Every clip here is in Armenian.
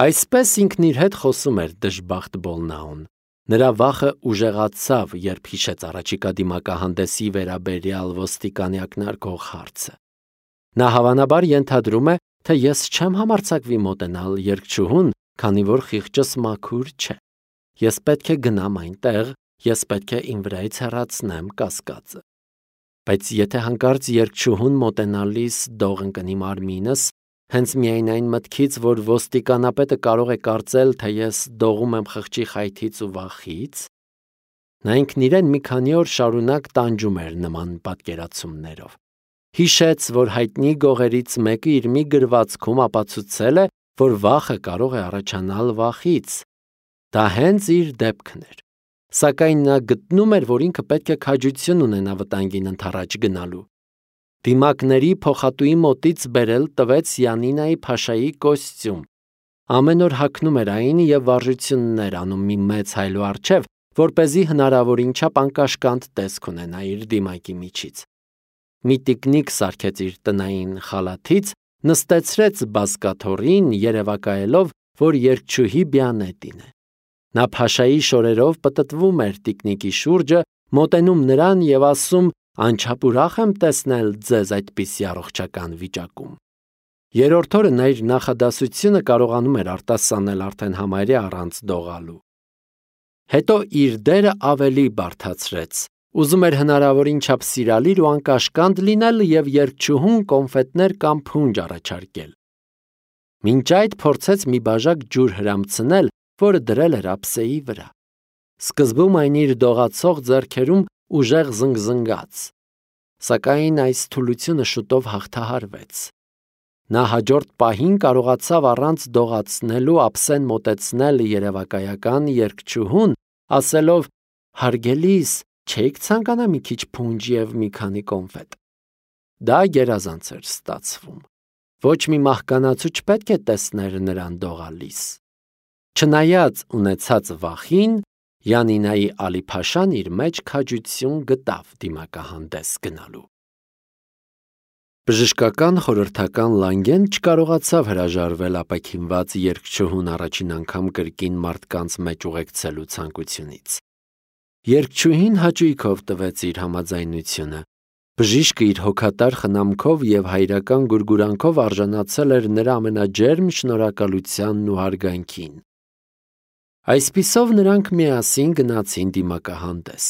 Այսպես ինքն իր հետ խոսում էր դժբախտ Բոլնաուն։ Նրա վախը ուժեղացավ, երբ հիշեց առաջիկա դիմակահանդեսի վերաբերյալ ոստիկանի ակնարկող հարցը։ Նա հավանաբար ենթադրում է, թե ես չեմ համարձակվի մոտենալ երգչուհուն, քանի որ խիղճս մաքուր չէ։ Ես պետք է գնամ այնտեղ, ես պետք է իմ վրայից հեռացնեմ կասկածը։ Բայց եթե հանկարծ երգչուհուն մոտենալիս դող ընկնի մարմինս, հենց միայն այն մտքից, որ ոստիկանապետը կարող է կարծել, թե ես դողում եմ խղճի խայթից ու վախից, նա ինքն իրեն մի քանի օր շարունակ տանջում էր նման պատկերացումներով։ Հիշեց, որ հայտնի գողերից մեկը իր մի գրվածքում ապացուցել է, որ վախը կարող է առաջանալ վախից։ Դա հենց իր դեպքն էր։ Սակայն նա գտնում էր, որ ինքը պետք է քաջություն ունենա վտանգին ընդառաջ գնալու։ Դիմակների փոխատուի մոտից բերել տվեց Յանինայի փաշայի կոստյում։ Ամեն օր հագնում էր այն և վարժություններ անում մի մեծ հայլու առջև, որպեսզի հնարավորին չափ անկաշկանդ տեսք ունենա իր դիմակի միջից։ Մի տիկնիկ սարքեց իր տնային խալաթից, նստեցրեց բազկաթոռին, երևակայելով, որ երգչուհի Բիանետին է։ Նա փաշայի շորերով պտտվում էր տիկնիկի շուրջը, մոտենում նրան և ասում. «Անչափ ուրախ եմ տեսնել ձեզ այդպիսի առողջական վիճակում»։ Երրորդ օրը նա իր նախադասությունը կարողանում էր արտասանել արդեն համարյա առանց դողալու։ Հետո իր դերը ավելի բարդացրեց։ Ուզում էր հնարավորին չափ սիրալիր ու անկաշկանդ լինել և երգչուհուն կոնֆետներ կամ փունջ առաջարկել։ Մինչ այդ փորձեց մի բաժակ ջուր հրամցնել, որը դրել էր ափսեի վրա։ Սկզբում այն իր դողացող ձեռքերում ուժեղ զնգզնգաց, սակայն այս թուլությունը շուտով հաղթահարվեց։ Նա հաջորդ պահին կարողացավ առանց դողացնելու ափսեն մոտեցնել երևակայական երգչուհուն, ասելով. «Հարգելիս, չէիք ցանկանա մի քիչ փունջ և մի քանի կոնֆետ»։ Դա գերազանց էր ստացվում։ Ոչ մի մահկանացու չպետք է տեսներ նրան դողալիս։ Չնայած ունեցած վախին, Յանինայի Ալի-Փաշան իր մեջ քաջություն գտավ դիմակահանդես գնալու։ Բժշկական խորհրդական Լանգեն չկարողացավ հրաժարվել ապաքինված երգչուհուն առաջին անգամ կրկին մարդկանց մեջ ուղեկցելու ցանկությունից։ Երգչուհին հաճույքով տվեց իր համաձայնությունը։ Բժիշկը իր հոգատար խնամքով և հայրական գուրգուրանքով արժանացել էր նրա ամենաջերմ շնորհակալությանն ու հարգանքին։ Այսպիսով նրանք միասին գնացին դիմակահանդես։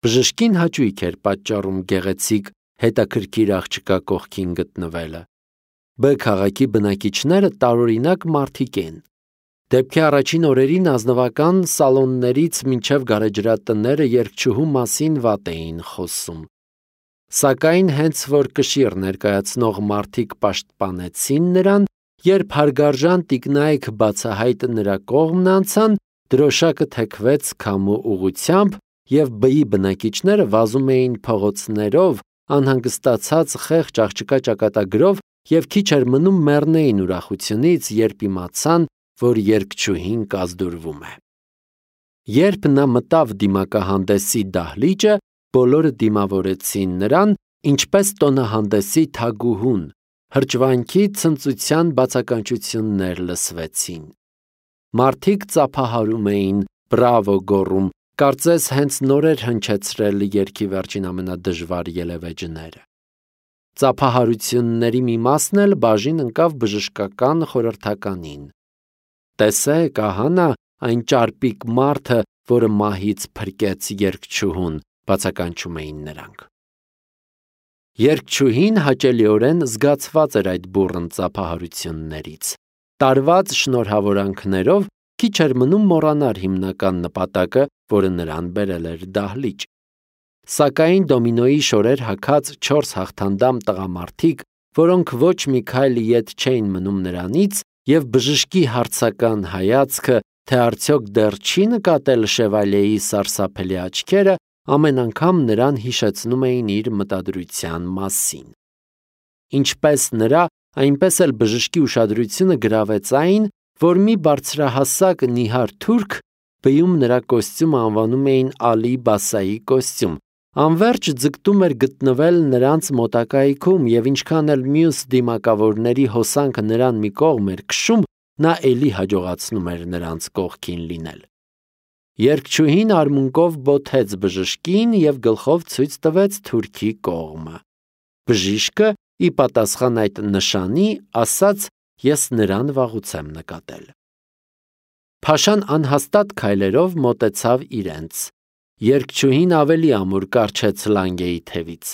Բժշկին հաճույք էր պատճառում գեղեցիկ, հետաքրքիր աղջկա կողքին գտնվելը։ B քաղաքի բնակիչները տարօրինակ մարդիկ են։ Դեպքի առաջին օրերին ազնվական սալոններից մինչև գարեջրատները երգչուհու մասին վատ էին խոսում։ Սակայն հենց որ կշիռ ներկայացնող մարդիկ պաշտպանեցին նրան, երբ հարգարժան տիկնայք բացահայտ նրա կողմն անցան, դրոշակը թեքվեց քամու ուղղությամբ, և B-ի բնակիչները վազում էին փողոցներով, անհանգստացած խեղճ աղջկա ճակատագրով և քիչ էր մնում մեռնեին ուրախությունից, երբ իմացան, որ երգչուհին կազդուրվում է։ Երբ նա մտավ դիմակահանդեսի դահլիճը, բոլորը դիմավորեցին նրան, ինչպես տոնահանդեսի թագուհուն, հրճվանքի ցնծության բացականչություններ լսվեցին։ Մարդիկ ծափահարում էին, բրավո գոռում, կարծես հենց նոր էր հնչեցրել երգի վերջին ամենադժվար ելևէջները։ Ծափահարությունների մի մասն էլ բաժին ընկավ բժշկական խորհրդականին։ «Տեսեք, ահա նա, այն ճարպիկ մարդը, որը մահից փրկեց երգչուհուն», բացականչում էին նրանք։ Երգչուհին հաճելիորեն զգացված էր այդ բուռն ծափահարություններից։ Տարված շնորհավորանքներով քիչ էր մնում մոռանար հիմնական նպատակը, որը նրան բերել էր դահլիճ։ Սակայն դոմինոյի շորեր հագած 4 հաղթանդամ տղամարդիկ, որոնք ոչ մի քայլ ետ չէին մնում նրանից, և բժշկի հարցական հայացքը, թե արդյոք դեռ չի նկատել շևալյեի սարսափելի աչքերը, ամեն անգամ նրան հիշեցնում էին իր մտադրության մասին։ Ինչպես նրա, այնպես էլ բժշկի ուշադրությունը գրավեց այն, որ մի բարձրահասակ նիհար թուրք B-ում նրա կոստյումը անվանում էին Ալի Բասայի կոստյում, անվերջ ձգտում էր գտնվել նրանց մոտակայքում, և ինչքան էլ մյուս դիմակավորների հոսանքը նրան մի կողմ էր քշում, նա էլի հաջողացնում էր նրանց կողքին լինել։ Երգչուհին արմունկով բոթեց բժշկին և գլխով ցույց տվեց թուրքի կողմը։ Բժիշկը, ի պատասխան այդ նշանի, ասաց. «Ես նրան վաղուց եմ նկատել»։ Փաշան անհաստատ քայլերով մոտեցավ իրենց։ Երգչուհին ավելի ամուր կառչեց լանգեի թևից։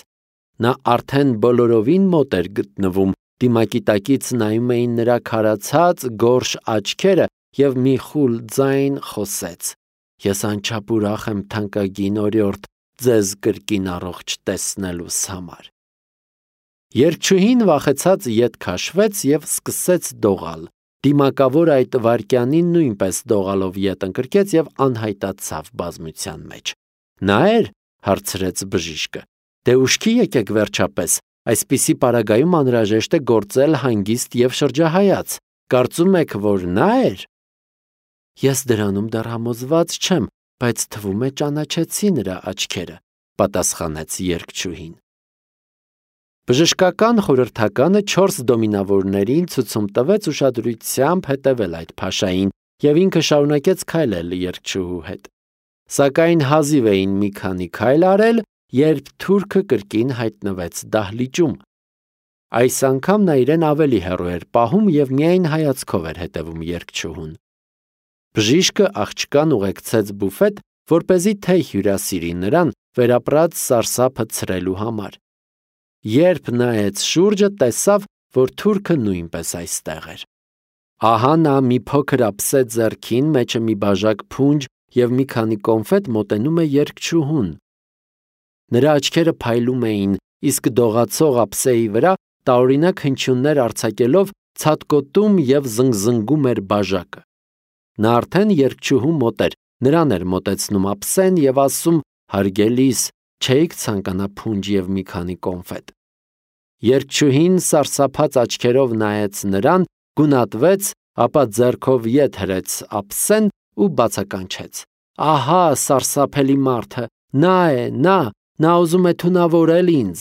Նա արդեն բոլորովին մոտ էր գտնվում, դիմակի տակից նայում էին նրա քարացած, գորշ աչքերը և մի խուլ ձայն խոսեց. «Ես անչափ ուրախ եմ, թանկագին օրիորդ, ձեզ կրկին առողջ տեսնելուս համար»։ Երգչուհին վախեցած ետ քաշվեց և սկսեց դողալ։ Դիմակավոր այդ վայրկյանին նույնպես դողալով ետ ընկրկեց և անհայտացավ բազմության մեջ։ «Նա էր»։ հարցրեց բժիշկը։ «Դե ուշքի եկեք վերջապես, այսպիսի պարագայում անհրաժեշտ է գործել հանգիստ և շրջահայաց։ Կարծում եք, որ նա էր»։ «Ես դրանում դեռ համոզված չեմ, բայց թվում է ճանաչեցի նրա աչքերը», պատասխանեց երգչուհին։ Բժշկական խորհրդականը 4 դոմինավորներին ցուցում տվեց ուշադրությամբ հետևել այդ փաշային, և ինքը շարունակեց քայլել երգչուհու հետ։ Սակայն հազիվ էին մի քանի քայլ արել, երբ թուրքը կրկին հայտնվեց դահլիճում։ Այս անգամ նա իրեն ավելի հեռու էր պահում և միայն հայացքով էր հետևում երգչուհուն։ Բժիշկը աղջկան ուղեկցեց բուֆետ, որպեսզի թեյ հյուրասիրի նրան վերապրած սարսափը ցրելու համար։ Երբ նայեց շուրջը, տեսավ, որ թուրքը նույնպես այստեղ էր։ Ահա նա մի փոքր ափսե ձեռքին, մեջը մի բաժակ փունջ և մի քանի կոնֆետ մոտենում է երգչուհուն։ Նրա աչքերը փայլում էին, իսկ դողացող ափսեի վրա տարօրինակ հնչյուններ արձակելով ցատկոտում և զնգզնգում էր բաժակը։ Նա արդեն երգչուհու մոտ էր, նրան էր մոտեցնում ափսեն և ասում. «Հարգելիս, չէիք ցանկանա փունջ և մի քանի կոնֆետ»։ Երգչուհին սարսափած աչքերով նայեց նրան, գունատվեց, ապա ձեռքով ետ հրեց ափսեն ու բացականչեց. «Ահա սարսափելի մարդը, նա է, նա ուզում է թունավորել ինձ»։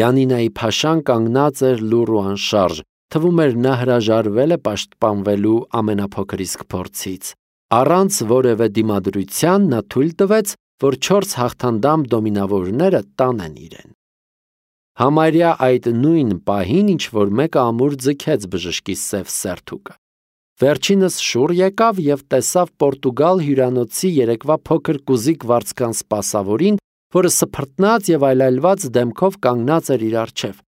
Յանինայի փաշան կանգնած էր լուռ ու անշարժ, թվում էր նա հրաժարվել է պաշտպանվելու ամենափոքր իսկ փորձից։ Առանց որևէ դիմադրության նա թույլ տվեց, որ 4 հաղթանդամ դոմինավորները տանեն իրեն։ Համարյա այդ նույն պահին ինչ-որ մեկը ամուր ձգեց բժշկի սև սերթուկը։ Վերջինս շուռ եկավ և տեսավ Պորտուգալ հյուրանոցի երեկվա փոքր կուզիկ վարձկան սպասավորին, որը սփռտնած և այլայլված դեմքով կանգնած էր իր առջև։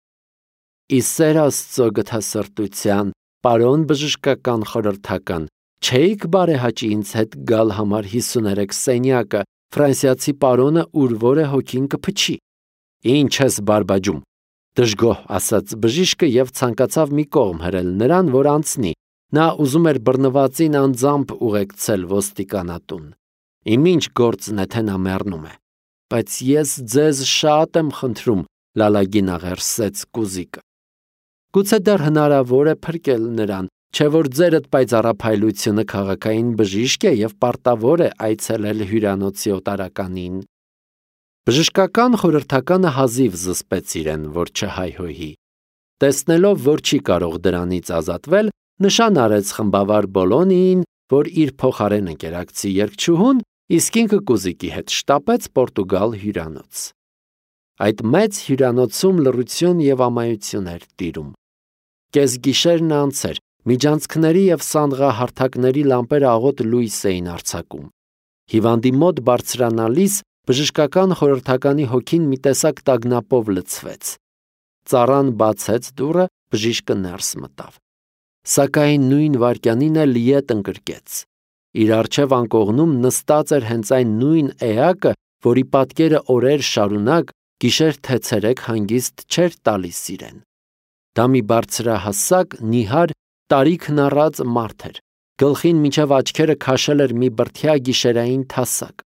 «Ի սեր Աստծո գթասրտության, պարոն բժշկական խորհրդական, չէի՞ք բարեհաճի ինձ հետ գալ համար 53 սենյակը, ֆրանսիացի պարոնը ուր է հոգին կփչի»։ «Ինչ ես բարբաջում», դժգոհ ասաց բժիշկը և ցանկացավ մի կողմ հրել նրան, որ անցնի։ Նա ուզում էր բռնվածին անձամբ ուղեկցել ոստիկանատուն։ «Իմ ինչ գործն է, թե նա մեռնում է»։ «Բայց ես ձեզ շատ եմ խնդրում», լալագին աղերսեց կուզիկը։ «Գուցե դեռ հնարավոր է փրկել նրան, չէ՞ որ ձերդ պայծառափայլությունը քաղաքային բժիշկ է և պարտավոր է այցելել հյուրանոցի օտարականին»։ Բժշկական խորհրդականը հազիվ զսպեց իրեն, որ չհայհոյի։ Տեսնելով, որ չի կարող դրանից ազատվել, նշան արեց խմբավար Բոլոնիին, որ իր փոխարեն ընկերակցի երգչուհուն, իսկ ինքը կուզիկի հետ շտապեց Պորտուգալ հյուրանոց։ Այդ մեծ հյուրանոցում լռություն և ամայություն էր տիրում։ Կեսգիշերն անց էր, միջանցքների և սանդղահարթակների լամպերը աղոտ լույս էին արձակում։ Հիվանդի մոտ բարձրանալիս բժշկական խորհրդականի հոգին մի տեսակ տագնապով լցվեց։ Ծառան բացեց դուռը, բժիշկը ներս մտավ։ Սակայն նույն վայրկյանին էլ ետ ընկրկեց։ Իր առջև անկողնում նստած էր հենց այն նույն էակը, որի պատկերը օրեր շարունակ, գիշեր թե ցերեկ հանգիստ չէր տալիս իրեն։ Դա մի բարձրահասակ, նիհար, տարիքն առած մարդ էր։ Գլխին մինչև աչքերը քաշել էր մի բրդյա գիշերային թասակ։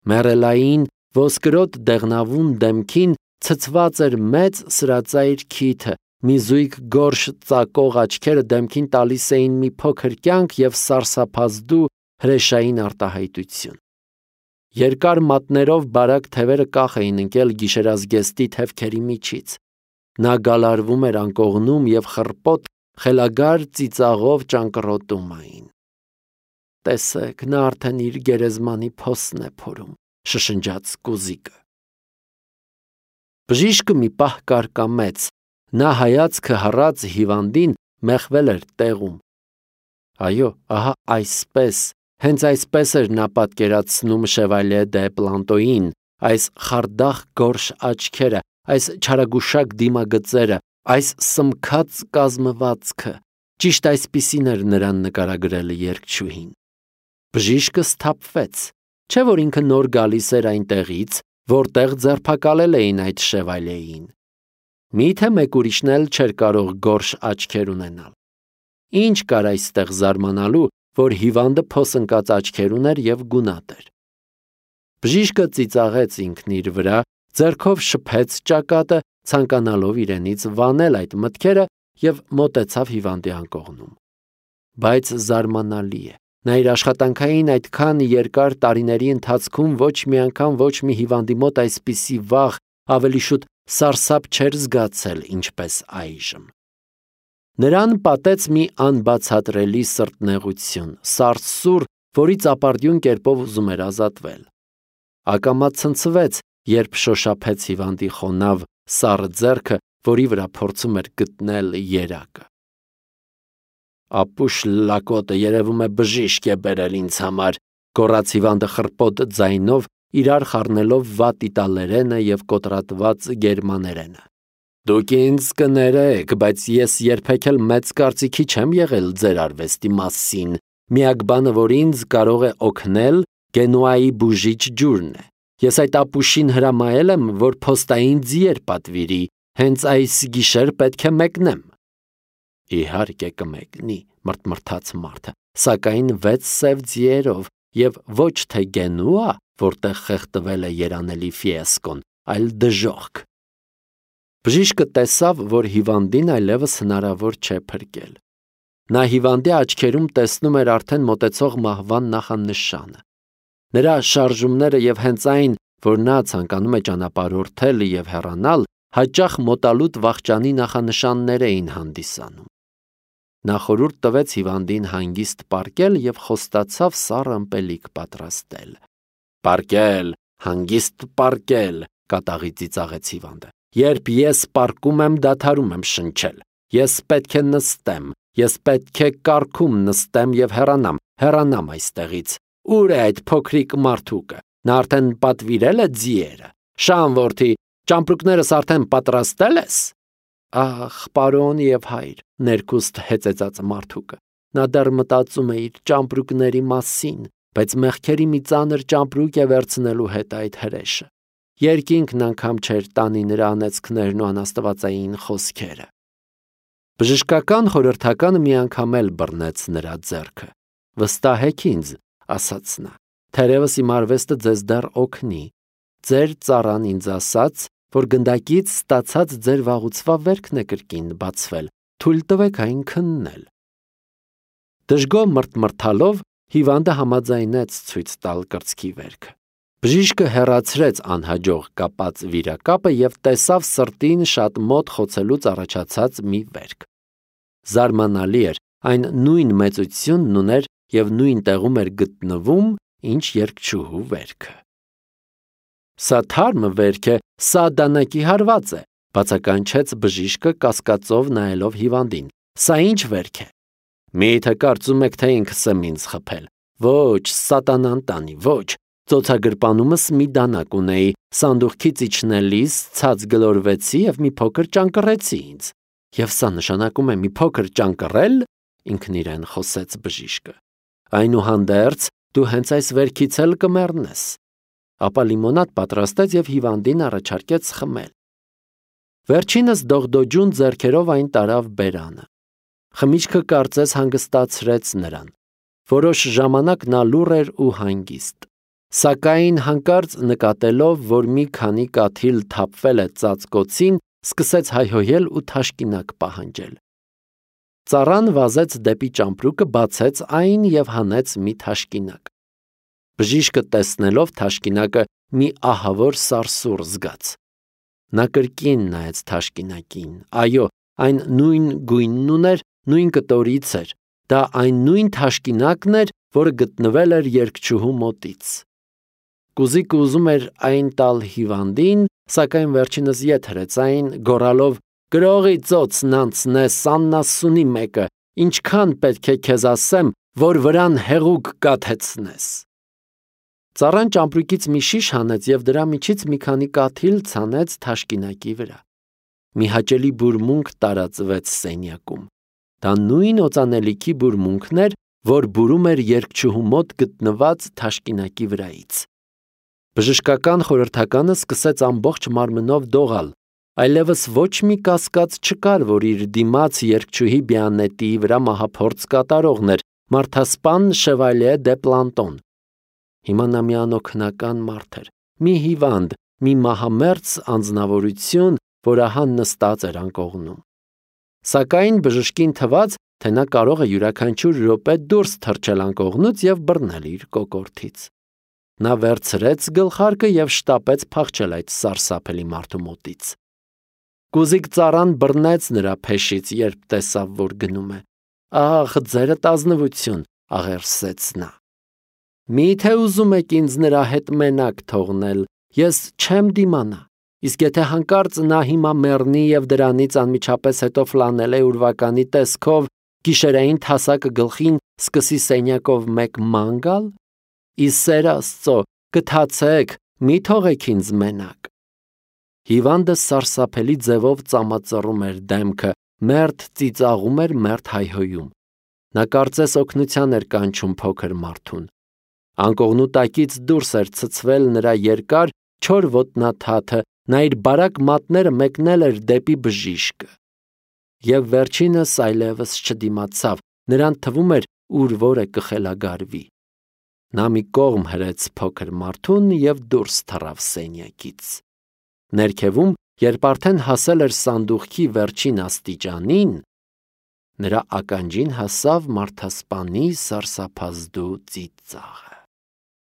Մեռելային, ոսկրոտ դեղնավուն դեմքին ցցված էր մեծ սրածայր քիթը, մի զույգ գորշ ծակող աչքերը դեմքին տալիս էին մի փոքր կյանք և սարսափազդու հրեշային արտահայտություն։ Երկար մատներով բարակ թևերը կախ էին ընկել գիշերազգեստի թևքերի միջից։ Նա գալարվում էր անկողնում և խռպոտ, խելագար ծիծաղով ճանկռոտում էին։ Տեսեք, նա արդեն իր գերեզմանի փոսն է փորում, շշնջաց Կուզիկը։ Բժիշկը մի պահ կարկամեց, նա հայացքը հառած հիվանդին մեխվել էր տեղում։ Այո, ահա այսպես, հենց այսպես էր նա պատկերացնում Շևալյե դե Պլանտոյին, այս խարդախ գորշ աչքերը, այս չարագուշակ դիմագծերը, այս սմքած կազմվածքը, ճիշտ այսպիսին էր նրան նկարագրել երգչուհին։ Բժիշկը սթափվեց, չէ՞ որ ինքը նոր գալիս էր այնտեղից, որտեղ ձերբակալել էին այդ Շևալյեին։ Միթե մեկ ուրիշն էլ չէր կարող գորշ աչքեր ունենալ։ Ինչ կար այստեղ զարմանալու, որ հիվանդը փոսընկած աչքեր ուներ և գունատ էր։ Բժիշկը ծիծաղեց ինքն իր վրա, ձեռքով շփեց ճակատը, ցանկանալով իրենից վանել այդ մտքերը և մոտեցավ հիվանդի անկողնում։ Բայց զարմանալի է, նա իր աշխատանքային այդքան երկար տարիների ընթացքում ոչ մի անգամ ոչ մի հիվանդի մոտ այսպիսի վախ, ավելի շուտ սարսափ չէր զգացել, ինչպես այժմ։ Նրան պատեց մի անբացատրելի սրտնեղություն, սարսուռ, որից ապարդյուն կերպով ուզում էր ազատվել։ Ակամա ցնցվեց, երբ շոշափեց հիվանդի խոնավ, սառը ձեռքը, որի վրա փորձում էր գտնել երակը։ Ապուշ լակոտը երևում է բժիշկ է բերել ինձ համար, գոռաց հիվանդը խռպոտ ձայնով, իրար խառնելով վատ իտալերենը և կոտրատված գերմաներենը։ Դուք ինձ կներեք, բայց ես երբեք էլ մեծ կարծիքի չեմ եղել ձեր արվեստի մասին։ Միակ բանը, որ ինձ կարող է օգնել, Գենուայի բուժիչ ջուրն է։ Ես այդ ապուշին հրամայել եմ, որ փոստային ձիեր պատվիրի, հենց այս գիշեր պետք է մեկնեմ։ Իհարկե կմեկնի, մռթմռթաց մարդը, սակայն 6 սև ձիերով և ոչ թե Գենուա, որտեղ խեղդվել է երանելի ֆիեսկոն, այլ դժոխք։ Բժիշկը տեսավ, որ հիվանդին այլևս հնարավոր չէ փրկել։ Նա հիվանդի աչքերում տեսնում էր արդեն մոտեցող մահվան նախանշանը։ Նրա շարժումները և հենց այն, որ նա ցանկանում է ճանապարհորդել և հեռանալ, հաճախ մոտալուտ վախճանի նախանշաններ էին հանդիսանում։ Նա խորհուրդ տվեց հիվանդին հանգիստ պառկել և խոստացավ սառը ըմպելիք պատրաստել։ Պառկել, հանգիստ պառկել, կատաղի ծիծաղեց հիվանդը։ Երբ ես պառկում եմ, դադարում եմ շնչել։ Ես պետք է նստեմ, ես պետք է կառքում նստեմ և հեռանամ այստեղից։ Ուր է այդ փոքրիկ մարդուկը։ Նա արդեն պատվիրել է ձիերը։ Շան որդի, ճամպրուկներս արդեն պատրաստել ես։ Ախ, պարոն և հայր, ներքուստ հեծեծած մարդուկը։ Նա դեռ մտածում է իր ճամպրուկների մասին, բայց մեղքերի մի ծանր ճամպրուկ է վերցնելու հետ այդ հրեշը։ Երկինքն անգամ չէր տանի նրա անեծքներն ու անաստվածային խոսքերը։ Բժշկական խորհրդականը մի անգամ էլ բռնեց նրա ձեռքը։ Վստահեք ինձ, ասաց նա, թերևս իմ արվեստը ձեզ դեռ օգնի։ Ձեր ծառան ինձ ասաց, որ գնդակից ստացած ձեր վաղուցվա վերքն է կրկին բացվել, թույլ տվեք այն քննել։ Դժգոհ մռթմռթալով հիվանդը համաձայնեց ցույց տալ կրծքի վերքը։ Բժիշկը հեռացրեց անհաջող կապած վիրակապը և տեսավ սրտին շատ մոտ խոցելուց առաջացած մի վերք։ Զարմանալի էր, այն նույն մեծությունն ուներ և նույն տեղում էր գտնվում, ինչ երգչուհու վերքը։ Սա թարմը վերք է, սա դանակի հարված է, բացականչեց բժիշկը կասկածով նայելով հիվանդին։ Սա ինչ վերք է։ Միթե կարծում եք, թե ինքս եմ ինձ խփել։ Ոչ, սատանան տանի, ոչ։ Ծոցագրպանումս մի դանակ ունեի, սանդուղքից իջնելիս ցած գլորվեցի և մի փոքր ճանկռեցի ինձ։ Եվ սա նշանակում է մի փոքր ճանկռել, ինքն իրեն խոսեց բժիշկը։ Այնուհանդերձ դու հենց այս վերքից էլ կմեռնես։ Ապա լիմոնադ պատրաստեց և հիվանդին առաջարկեց խմել։ Վերջինս դողդոջուն ձեռքերով այն տարավ բերանը։ Խմիչքը կարծես հանգստացրեց նրան։ Որոշ ժամանակ նա լուռ էր ու հանգիստ։ Սակայն հանկարծ նկատելով, որ մի քանի կաթիլ թափվել է ծածկոցին, սկսեց հայհոյել ու թաշկինակ պահանջել։ Ծառան վազեց դեպի ճամպրուկը, բացեց այն և հանեց մի թաշկինակ։ Բժիշկը տեսնելով թաշկինակը մի ահավոր սարսուռ զգաց։ Նա կրկին նայեց թաշկինակին։ Այո, այն նույն գույնն ուներ, նույն կտորից էր, դա այն նույն թաշկինակն էր, որը գտնվել էր երգչուհու մոտից։ Կուզիկը ուզում էր այն տալ հիվանդին, սակայն վերջինս ետ հրեց այն, գոռալով. «Գրողի ծոցն անցնես, աննասունի մեկը, ինչքան պետք է քեզ ասեմ, որ վրան հեղուկ կաթեցնես»։ Ծառան ճամպրուկից մի շիշ հանեց և դրա միջից մի քանի կաթիլ ցանեց թաշկինակի վրա։ Մի հաճելի բուրմունք տարածվեց սենյակում։ Դա նույն օծանելիքի բուրմունքն էր, որ բուրում էր երգչուհու մոտ գտնված թաշկինակի վրայից։ Բժշկական խորհրդականը սկսեց ամբողջ մարմնով դողալ, այլևս ոչ մի կասկած չկար, որ իր դիմաց երգչուհի Բիանետիի վրա մահափորձ կատարողն էր մարդասպան Շևալիե դե Պլանտոն։ Հիմա նա մի անօգնական մարդ էր, մի հիվանդ, մի մահամերձ անձնավորություն, որ ահա նստած էր անկողնում։ Սակայն բժշկին թվաց, թե նա կարող է յուրաքանչյուր րոպե դուրս թռչել անկողնուց և բռնել իր կոկորդից։ Նա վերցրեց գլխարկը և շտապեց փախչել այդ սարսափելի մարդու մոտից։ Կուզիկ ծառան բռնեց նրա փեշից, երբ տեսավ, որ գնում է։ «Ախ, ձերդ ազնվություն», աղերսեց նա։ «Մի՞թե ուզում եք ինձ նրա հետ մենակ թողնել, ես չեմ դիմանա, իսկ եթե հանկարծ նա հիմա մեռնի և դրանից անմիջապես հետո ֆլանելե ուրվականի տեսքով գիշերային թասակը գլխին սկսի սենյակով մեկ ման գալ, ի սեր Աստծո, գթացեք, մի թողեք ինձ մենակ»։ Հիվանդը սարսափելի ձևով ծամածռում էր դեմքը, մերթ ծիծաղում էր, մերթ հայհոյում։ Նա կարծես օգնության էր կանչում փոքր մարդուն։ Անկողնու տակից դուրս էր ցցվել նրա երկար, չոր ոտնաթաթը, նա իր բարակ մատները մեկնել էր դեպի բժիշկը։ Եվ վերջինս այլևս չդիմացավ, նրան թվում էր, ուր որը կխելագարվի։ Նա մի կողմ հրեց փոքր մարդուն և դուրս թռավ սենյակից։ Ներքևում, երբ արդեն հասել էր սանդուղքի վերջին աստիճանին, նրա ականջին հասավ մարդասպանի սարսափազդու ծիծաղը։